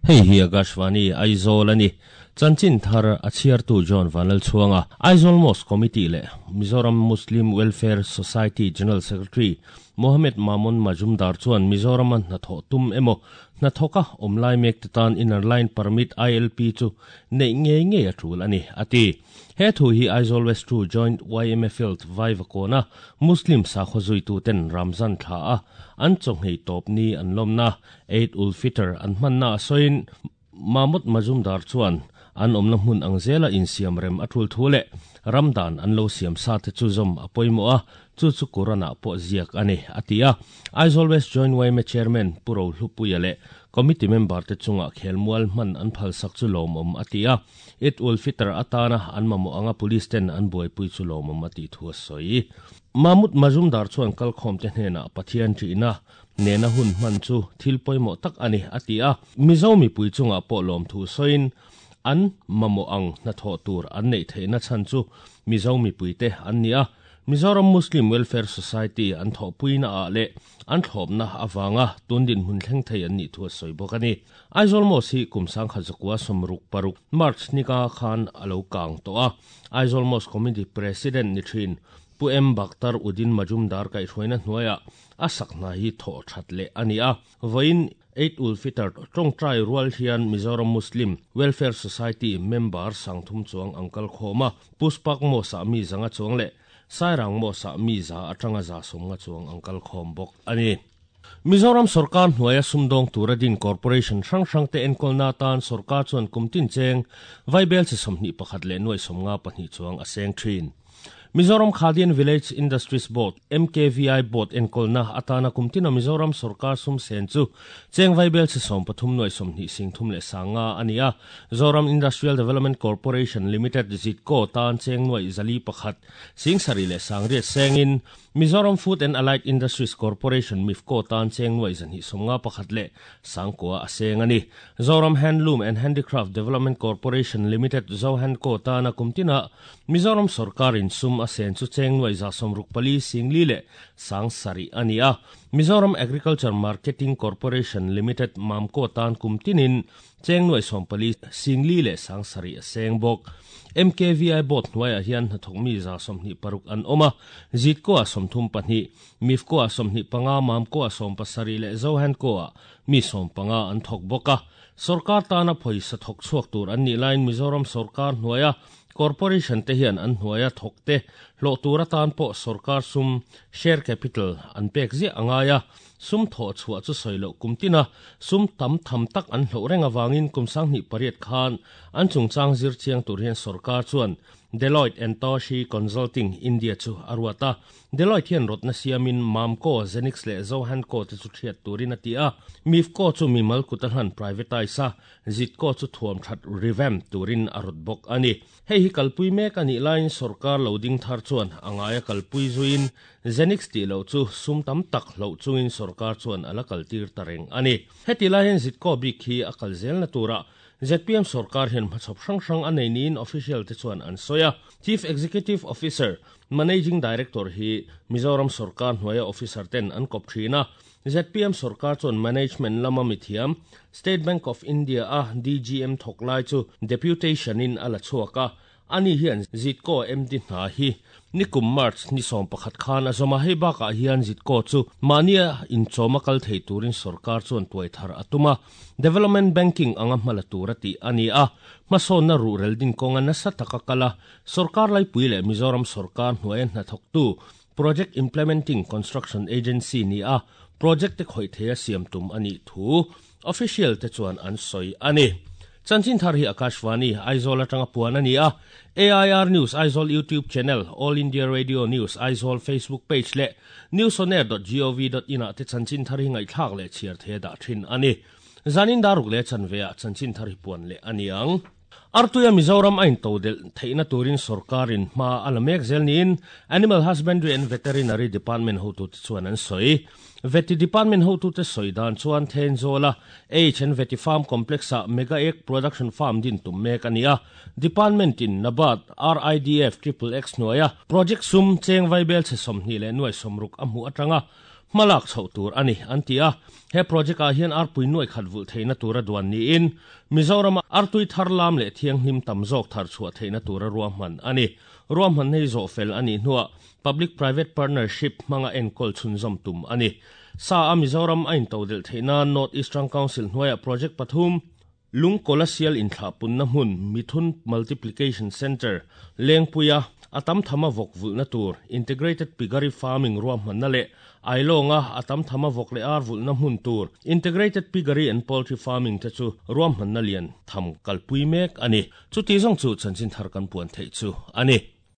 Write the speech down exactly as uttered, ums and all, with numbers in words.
Hei hi Akashvani Aizawl ani. Chanchin thar a chhiartu John Vanlal Chhuanga. Aizawl Mosque Committee leh Mizoram Muslim Welfare Society General Secretary Mohammed Mamon Majumdar chuan Mizoram a hnathawh tum emaw hnathawka awmlai mek te tan Inner Line Permit I L P chu neih ngei ngei a tul ani ati. He thu hi Aizawl West two Joint Y M A Field Vaivakona Muslim sakhaw zuitu ten Ramzan thla a an chawnghei tawp ni an lawmna Eid ul Fitr an hmanna a sawiin. Mamut Majumdar chuan an awmna hmun ang zela insiam rem a tul thu leh ramdan an lo siam sa te chu zawm a pawimawh a, chu chu Quran ah pawh ziak ani ati a. Aizawl West Joint Y M A Chairman Puro Hlupuia leh committee member te chunga khelmual hman an phal sak chu lawmawm ati a. Eid ul Fitr atana an mamawh anga police ten an buaipui chu lawmawm ati thu a sawi. Mamut Majumdar chuan kalkhawm te hnenah Pathian ṭihna nena hun hman chu thil pawimawh tak ani ati a. Mizo mipui chunga pawh lawm thu sawiin an mamawh ang hnathawh tur an neih theihna chhan chu Mizo mipui te an ni a. Mizoram Muslim Welfare Society an thawhpuina ah leh an thlawpna awanga tundin hmun thleng thei an nih thu a sawi bawk ani. Aizawl Mosque hi kum sangkhat zakua sawmruk paruk March nika khan alo kang tawh a. Aizawl Mosque Committee President ni thin Pu M Bakhtar Udin Majumdar kai hruaina hnuaia a sakna hi thaw that leh ani a. Voin Eid ul Fitr tawngtai rual hian Mizoram Muslim Welfare Society member sangthum chuang angkal khawma Puspak Mosque ah mi zanga chuang leh Sairang Mosque ah mi za atanga za sawmnga chuang angkal khawm bawk ani. Mizoram sarkar hnuaia sumdawng tura din corporation hrang hrang te enkawlna tan sarkar chuan kumtin cheng vaibel chi sawmhnih pakhat leh nuai sawmnga pahnih chuang a seng thin. Mizoram Khadi and Village Industries Board M K V I Board enkawlna atana kumtina Mizoram sarkar sum sen chu cheng vaibel chi sawm pathum nuai sawmhnih sing thum leh sanga ani a. Zoram Industrial Development Corporation Limited ZIDCO tan cheng nuai zali pakhat sing sari leh sangriat sengin, Mizoram Food and Allied Industries Corporation MIFCO tan cheng nuai zanhi sawmnga pakhat leh sangkua a seng ani. Zoram Handloom and Handicraft Development Corporation Limited Zohandco tana kumtina Mizoram sarkarin sum a sen chu cheng nuai za sawmruk pali singli leh sang sari ani a. Mizoram Agriculture Marketing Corporation Limited MAMCO tan kumtinin cheng nuai sawmpali singli leh sang sari a seng bawk. M K V I Board hnuaiah hian hnathawk mi za sawmhnih paruk an awm a. ZIDCO a sawmthum pahnih, MIFCO a sawmhnih panga, MAMCO a sawm pasarih leh Zohandco a mi sawm panga an thawk bawk a. Sarkar tana pawisa thawk chhuak tur an nih laiin Mizoram sarkar hnuaia corporation te hian an hnuaia thawk te hlawh tur atan pawh sarkar sum share capital an pek ziah angai a. Sum thawh chhuah chu sawi loh kumtina sum tam tham tak an hloh reng awangin kum sanghnih pariat khan an chungchang zir chiang tur hian sarkar chuan Deloitte and Touche Consulting India chu a ruat a. Deloitte hian rawtna siamin MAMCO, Zenix leh Zohandco te chu thiat turin a ti a. MIFCO chu mimal kut a hlan privatize a, ZIDCO chu thuam that revamp turin a rawt bawk ani. Hei hi kalpui mek anih laiin sarkar lo ding thar chuan angaia kalpui zuin Zenix tih lo chu sum tam tak hloh chungin sarkar chuan ala kaltir ta reng ani. Heti lai hian ZIDCO bik hi a kal zel na tura Z P M sarkar hian hmachhawp hrang hrang a nei niin official te chuan an sawi a. Chief Executive Officer, Managing Director hi Mizoram sarkar hnuaia officer ten an kawp thin a. Z P M sarkar chuan management lama mithiam, State Bank of India a D G M thawk lai chu deputation in a la chhuak a. Ani hian ZIDCO M D hna hi nikum March ni sawm pakhat khan a zawma. Hei bakah hian ZIDCO chu mahnia inchawma kal thei turin sarkar chuan tuai thar a tum a. Development banking anga hmala tur a tih ani a. Hmasawnna ruhrel din kawnga nasa taka kala sarkar laipui leh Mizoram sarkar hnuaia hnathawktu project implementing construction agency ni a project te khawih theia siam tum ani thu official te chuan an sawi ani. Chanchin thar hi Akashvani Aizawl atanga puan ani a. A I R News Aizawl YouTube channel, All India Radio News Aizawl Facebook page leh newsonair dot gov dot in ah te chanchin thar hi ngaihthlak leh chhiar the dah thin ani. Zanin daruk leh chanve ah chanchin thar hi puan leh ani ang. Artuia Mizoram a intodel theihna turin sarkarin hma a la mek zel niin Animal Husbandry and Veterinary Department hotu te chuan an sawi. Veti Department hotu te sawi dan chuan Thenzawl H and Veti Farm Complex ah Mega Egg Production Farm din tum mek ani a. Department in NABARD R I D F triple X hnuaia project sum cheng vaibel che sawmhnih leh nuai sawmruk a hmuh atanga Malak chho tur ani antia he project a hian arpui nuai khat vul theina tura duan ni in Mizoram artui thar lam le thiang hlim tam zawk thar chhuah theina tura ruahman ani ruahman nei zo fel ani hnuah public private partnership manga enkol chhunzawm tum ani sa a Mizoram a intodel theina North Eastern Council hnuaia project pathum lungkola sial inthla punna hmun Mithun Multiplication Center Lengpuia atam thama vok vulna tur integrated piggery farming ruahmanna le ailonga atam thama vok le ar vulna hmun tur integrated piggery and poultry farming te chu ruahmanna lian tham kalpui mek ani chuti zong chu chanchin thar kan puan thei chu ani.